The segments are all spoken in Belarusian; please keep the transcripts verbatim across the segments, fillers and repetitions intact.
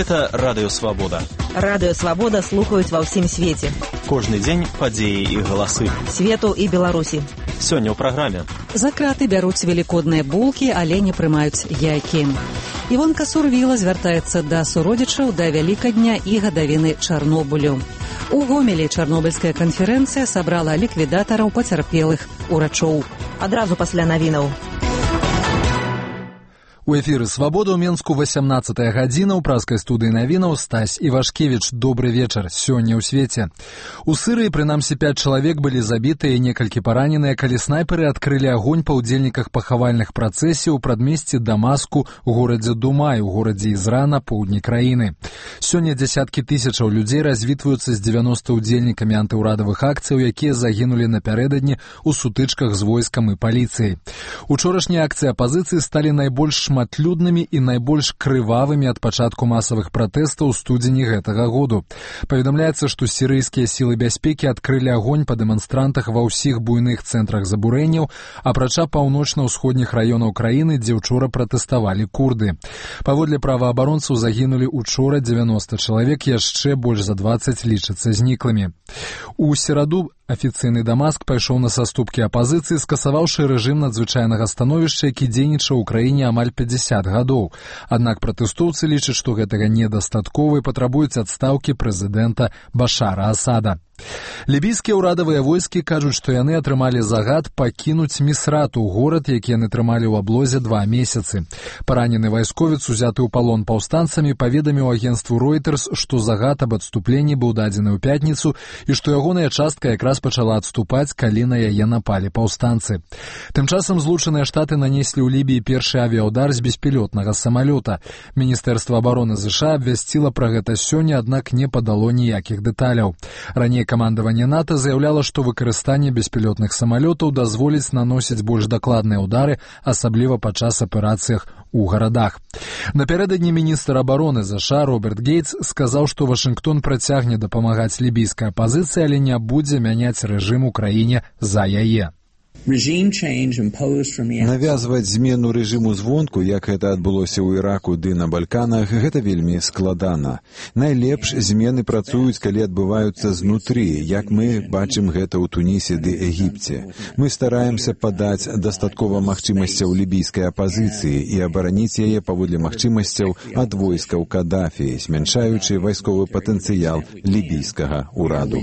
Гэта Радыё Свабода. Радыё Свабода слухаюць ва ўсім свеце. Кожны дзень падзеі і галасы. Свету і Беларусі. Сёння ў праграме. За краты бяруць велікодныя булкі, але не прымаюць яйкі. Івонка Сурвіла звяртаецца да суродзічаў да Вялікадня і гадавіны Чарнобылю. У Гомелі чарнобыльская канферэнцыя сабрала ліквідатараў пацярпелых урачоў. Адразу пасля навінаў. У эфіры «Свабода» ў Менску васямнаццатая гадзіна. У праскай студыі навінаў Стась Івашкевіч. Добры вечар. Сёння ў свеце. У Сырыі, прынамсі, пяць чалавек былі забітыя і некалькі параненыя, калі снайперы адкрылі агонь па ўдзельніках пахавальных працэсій у прадмесці Дамаску у горадзе Думай, у горадзе Ізра на поўдні краіны. Сёння дзясяткі тысячаў людзей развітваюцца з дзевяноста ўдзельнікамі антыўрадавых акцыяў, якія загінулі напярэдадні ў сутычках з войскам і паліцыяй. Учорашнія акцыі апазіцыі сталі найбольш шматлюднымі і найбольш крывавымі ад пачатку масавых пратэстаў у студзені гэтага году. Паведамляецца, што сірыйскія сілы бяспекі адкрылі агонь па дэманстрантах ва ўсіх буйных цэнтрах забурэнняў, апрача паўночна-ўсходніх раёнаў краіны, дзе ўчора пратэставалі курды. Паводле праваабаронцаў загінулі учора дзевяноста чалавек, яшчэ больш за дваццаць лічацца зніклымі. У сераду афіцыйны Дамаск пайшоў на саступкі апазіцыі, скасаваўшы рэжым надзвычайнага становішча, які дзейнічаў у краіне амаль пяцьдзясят гадоў. Аднак пратэстоўцы лічаць, што гэтага недастаткова і патрабуюць адстаўкі прэзідэнта Башара Асада. Лібійскія ўрадавыя войскі кажуць, што яны атрымалі загад пакінуць Місрату, горад, які яны трымалі ў аблозе два месяцы. Паранены вайсковец, узяты ў палон паўстанцамі, паведаміў агенцтву Reuters, што загад аб адступленні быў дадзены ў пятніцу і што ягоная частка якраз пачала адступаць, калі на яе напалі паўстанцы. Тым часам Злучаныя Штаты нанеслі ў Лібіі першы авіяўдар з беспілотнага самалёта. Міністэрства абароны ЗША абвясціла пра гэта сёння, аднак не падало ніякіх дэталяў. Раней камандаванне НАТО заяўляла, што выкарыстанне беспілотных самалётаў дазволіць наносіць больш дакладныя ўдары, асабліва падчас аперацыях у гарадах. Напярэдадні міністр абароны ЗША Роберт Гейтс сказаў, што Вашынгтон працягне дапамагаць лібійскай апазіцыі, але не будзе мяняць рэжым у краіне за яе. Навязваць змену рэжыму звонку, як гэта адбылося ў Іраку ды на Балканах, гэта вельмі складана. Найлепш змены працуюць, калі адбываюцца знутры, як мы бачым гэта ў Тунісе ды Егіпце. Мы стараемся падаць дастаткова магчымасцяў лібійскай апазіцыі і абараніць яе паводле магчымасцяў ад войскаў Кадафі, змяншаючы вайсковы патэнцыял лібійскага ўраду.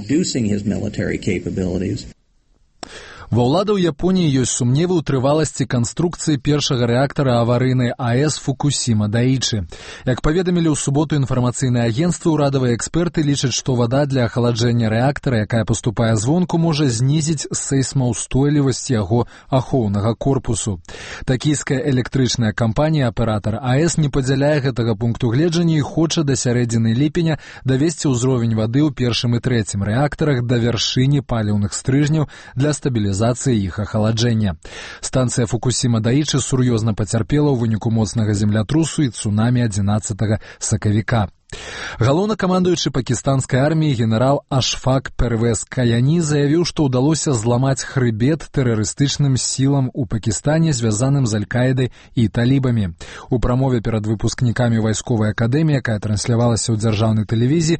Ва ўладаў Японіі ёсць сумневы ў трываласці канструкцыі першага рэактара аварыйнай АЭС Фукусіма Даічы. Як паведамілі ў суботу інфармацыйныя агенцтвы, урадавыя эксперты лічаць, што вада для ахаладжэння рэактара, якая паступае звонку, можа знізіць сейсмаўстойлівасць яго ахоўнага корпусу. Такійская электрычная кампанія, аператар АЭС, не падзяляе гэтага пункту гледжання і хоча да сярэдзіны ліпеня давесці ўзровень вады ў першым і трэцім рэактарах да вяршыні паліўных стрыжняў для стабілізацыі іх ахаладжэння. Станцыя Фукусіма Даічы сур'ёзна пацярпела ў выніку моцнага землятрусу і цунамі адзінаццатага сакавіка. Галоўнакамандуючы пакістанскай арміі генерал Ашфак Первез Каяні заявіў, што ўдалося зламаць хрыбет тэрарыстычным сілам у Пакістане, звязаным з Аль-Каідай і талібамі. У прамове перад выпускнікамі вайсковай акадэміі, якая транслявалася ў дзяржаўнай тэлевізіі,